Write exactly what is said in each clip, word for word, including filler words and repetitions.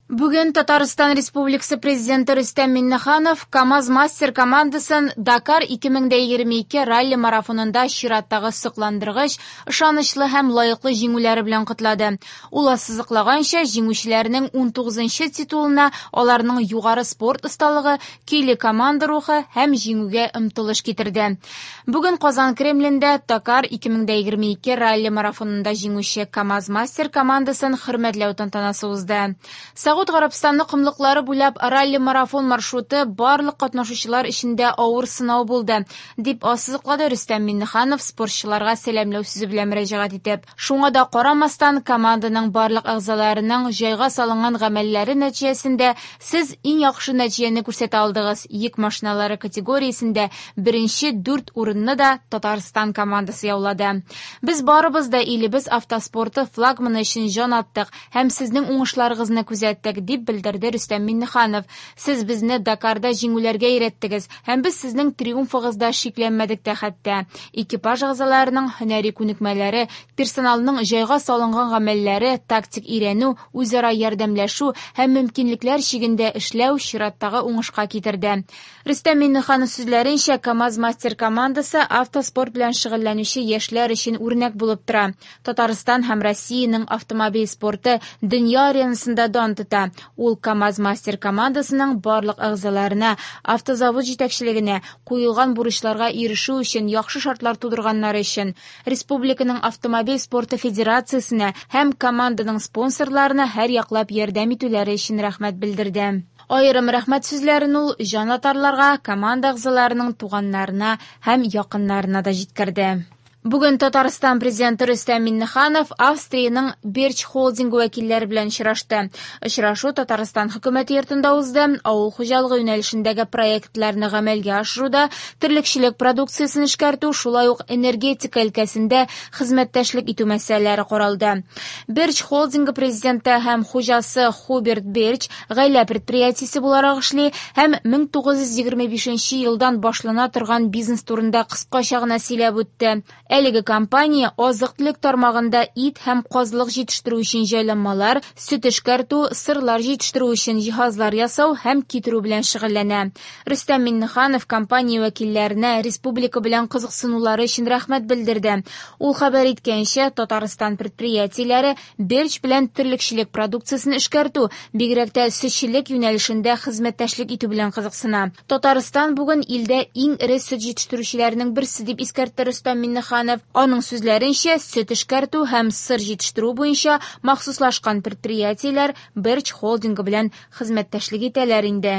Бүген Татарстан Республикасы Президенты Рөстәм Миңнеханов КАМАЗ-Мастер командасын Дакар ике мең дә егерме ике ралли-марафонында чираттагы сокландыргыч, ышанычлы һәм лаеклы җиңүләре белән котлады. Ул ассызыклаганча, җиңүчеләрнең унтугызынчы титулына аларның югары спорт осталыгы, көйле команда рухы һәм җиңүгә омтылыш китерде. Бүген Казан Кремлендә Дакар ике мең дә егерме ике ралли-марафонында җиңүче КАМАЗ-Мастер командасын хөрмәтләү тантанасы узды. Согуд Гарәбстаны комлыклары буйлап ралли-марафон маршруты барлык катнашучылар өчен дә авыр сынау булды, дип ассызыклады Рөстәм Миңнеханов спортчыларга сәламләү сүзе белән мөрәҗәгать итеп. Шуңа да карамастан, команданың барлык әгъзаларының җайга салынган гамәлләре нәтиҗәсендә сез иң яхшы нәтиҗәне күрсәтә алдыгыз. Йөк машиналары категориясендә беренче дүрт урынны да Татарстан командасы яулады. Без барыбыз да илебез автоспорты флагманы өчен җан аттык һәм сезнең уңышларыгызны күзәттек, дип белдерде Рөстәм Миңнеханов. Сез безне Дакарда җиңүләргә өйрәттегез һәм без сезнең триумфыгызда шикләнмәдек тә хәтта. Экипаж әгъзаларының һөнәри күнекмәләре, персоналның җайга салынган гамәлләре, тактик өйрәнү, үзара ярдәмләшү һәм мөмкинлекләр чигендә эшләү чираттагы уңышка китерде. Рөстәм Миңнеханов сүзләренчә, КАМАЗ-Мастер командасы автоспорт белән шөгыльләнүче яшьләр өчен үрнәк булып тора. Татарстан һәм Россиянең автомобиль спорты дөнья аренасында дан тота. Ул КАМАЗ-Мастер командасының барлык әгъзаларына, автозавод җитәкчелегенә куелган бурычларга ирешү өчен яхшы шартлар тудырганнары өчен, республиканың автомобиль спорты федерациясенә һәм команданың спонсорларына һәр яклап ярдәм итүләре өчен рәхмәт белдерде. Аерым рәхмәт сүзләрен ул җанатарларга, команда әгъзаларының туганнарына һәм якыннарына да җиткерде. Бүген Татарстан президенты Рөстәм Миңнеханов Австриянең Берч холдингы вәкилләре белән очрашты. Очрашу Татарстан хөкүмәте йортында узды. Авыл хуҗалыгы юнәлешендәге проектларны гамәлгә ашыруда, терлекчелек продукциясен эшкәртү, шулай ук энергетика өлкәсендә хезмәттәшлек итү мәсьәләләре каралды. Берч холдингы президенты һәм хуҗасы Хуберт Берч гаилә предприятиесе буларак эшли һәм мең тугыз йөз егерме бишенче елдан башлана торган бизнес турында кыскача гына сөйләп үтте. Әлеге компания азык-төлек тармагында ит һәм казлык җитештерү өчен җайланмалар, сөт эшкәртү, сырлар җитештерү өчен җиһазлар ясау һәм китерү белән шөгыльләнә. Рөстәм Миңнеханов компания вәкилләренә республика белән кызыксынулары өчен рәхмәт белдерде. Ул хәбәр иткәнчә, Татарстан предприятиеләре Берч белән терлекчелек продукциясен эшкәртү, бигрәк тә сөтчелек юнәлешендә хезмәттәшлек итү белән кызыксына. Татарстан бүген илдә иң эре сөт җитештерүчеләрнең берсе, дип искәртте Рөстәм Миңнеханов. Аның сүзләренчә, сөт эшкәртү һәм сыр җитештерү буенча махсуслашкан предприятиеләр Берч холдингы белән хезмәттәшлек итәләр инде.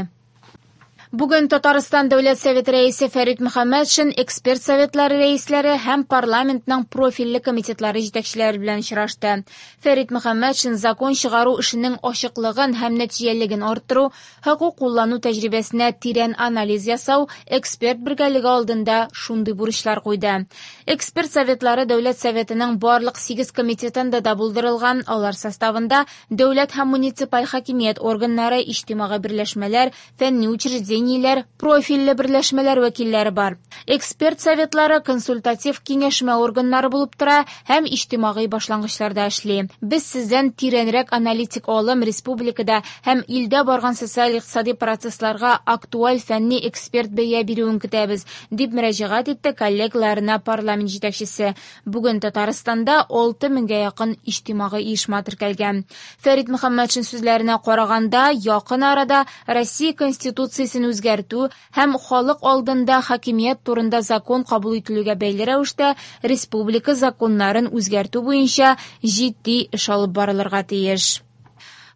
Бүген Татарстан Дәүләт Советы рәисе Фәрит Мөхәммәтшин эксперт советлары рәисләре һәм парламентның профильле комитетлары җитәкчеләре белән очрашты. Фәрит Мөхәммәтшин закон чыгару эшенең ачыклыгын һәм нәтиҗәлелеген арттыру, хокук куллану тәҗрибәсенә тирән анализ ясау эксперт бергәлеге алдында шундый бурычлар куйды. Эксперт советлары Дәүләт Советының барлык сигез комитетында да булдырылган, алар составында дәүләт һәм муниципаль хакимият органнары, иҗтимагый берләшмәләр, фәнни учреждениеләр, профильле берләшмәләр вәкилләре бар. Эксперт советлары консультатив киңәшмә органнары булып тора һәм иҗтимагый башлангычларда эшли. Без сездән тирәнрәк аналитик алым республикада һәм илдә барган социаль-икътисади процессларга актуаль фәнни эксперт бәя бирүен көтәбез, дип мөрәҗәгать итте коллегаларына парламент җитәкчесе. Бүген Татарстанда алты меңгә якын иҗтимагый оешма теркәлгән. Фәрит Мөхәммәтшин сүзләренә караганда, якын арада Россия Конституциясен үзгәртү һәм халык алдында хакимият турында закон кабул ителүгә бәйле рәвештә республика законнарын үзгәртү буенча җитди эш алып барылырга тиеш.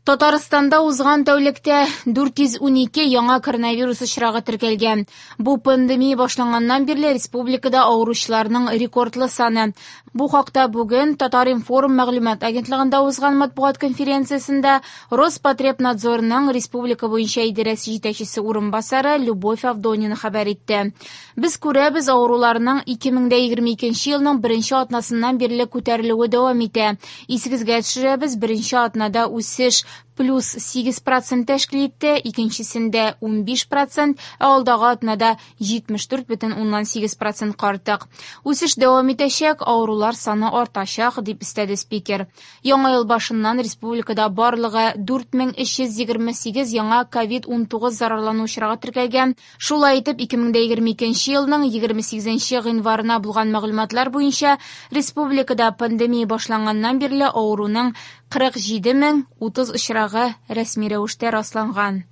Татарстанда узган тәүлектә дүрт йөз унике яңа коронавирус очрагы теркәлгән. Бу пандемия башланганнан бирле республикада авыручыларның рекордлы саны. Бу хакта бүген Татар-информ мәгълүмат агентлыгында узган матбугат конференциясендә Роспотребнадзорның республика буенча идарәсе җитәкчесе урынбасары Любовь Авдонина хәбәр итте. Без күрәбез, авыруларның ике мең дә егерме икенче елның беренче атнасыннан бирле күтәрелүе дәвам итә. Исегезгә төшерәбез, беренче атнада үсеш плюс сигез процент тәшкил итте, икенчесендә унбиш процент, ә алдагы атнада җитмеш дүрт бөтен уннан сигез процентка артык. Үсеш дәвам итәчәк, авырулар саны артачак, дип өстәде спикер. Яңа ел башыннан республикада барлыгы дүрт мең өч йөз егерме сигез яңа ковид унтугыз зарарлану очрагы теркәлгән. Шулай итеп, ике мең дә егерме икенче елның егерме сигезенче гыйнварына булган мәгълүматлар буенча республикада пандемия башланганнан бирле авыруның кырык җиде мең утыз очрагы рәсми рәвештә расланган.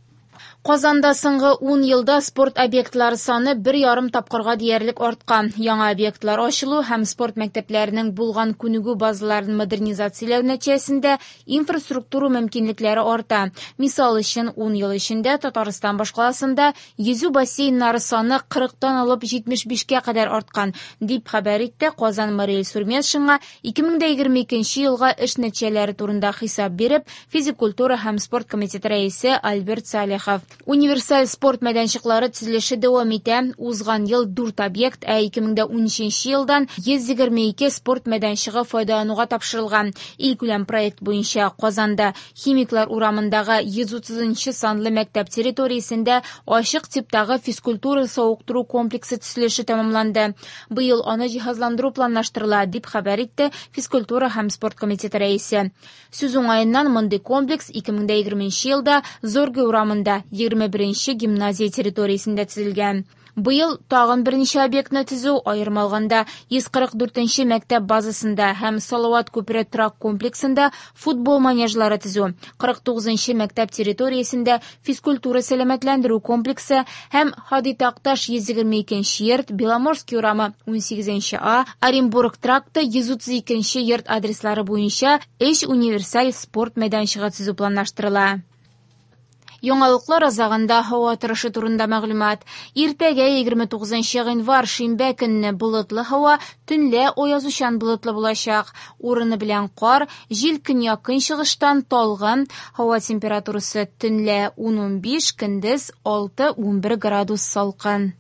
Казанда соңгы ун елда спорт объектлары саны бер ярым тапкырга диярлек арткан. Яңа объектлар ачылу һәм спорт мәктәпләренең булган күнегү базаларын модернизацияләү нәтиҗәсендә инфраструктура мөмкинлекләре арта. Мисал өчен, ун ел эчендә Татарстан башкаласында йөзү бассейннары саны кырыктан алып җитмеш бишкә кадәр арткан, дип хәбәр итте Казан мэры Илсур Метшинга ике мең дә егерме икенче елга эш нәтиҗәләре турында хисап биреп, физик культура һәм спорт комитеты рәисе Альберт Салихов. Универсаль спорт мәйданчыклары төзелеше дәвам итә. Узган ел дүрт объект, ә ике мең дә унөченче елдан йөз егерме ике спорт мәйданчыгы файдалануга тапшырылган. Илкүләм проект буенча Казанда Химиклар урамындагы йөз утызынчы санлы мәктәп территориясендә ачык типтагы физкультура савыктыру комплексы төзелеше тәмамланды. Быел аны җиһазландыру планлаштырыла, дип хәбәр итте физкультура һәм спорт комитеты рәисе. Сүз уңаеннан, мондый комплекс ике мең дә егерменче елда Зорге урамында егерме беренче гимназия территориясендә төзелгән. Быел тагын берничә объектны төзү, аерым алганда йөз кырык дүртенче мәктәп базасында һәм Салават күпере торак комплексында футбол манежлары төзү, кырык тугызынчы мәктәп территориясендә физкультура сәламәтләндерү комплексы һәм Һади Такташ йөз егерме икенче йорт, Беломорский урамы унсигезенче А, Оренбург тракты йөз утыз икенче йорт адреслары буенча өч универсаль спорт мәйданчыгы төзү планлаштырыла. Яңалыклар азагында һава торышы турында мәгълүмат. Иртәгә егерме тугызынчы гыйнвар шимбә көнне болытлы һава, төнлә аязучан болытлы булачак. Урыны белән кар, җил көньяк-көнчыгыштан талгын, һава температурасы төнлә ун-унбиш, көндез алты-унбер градус салкын.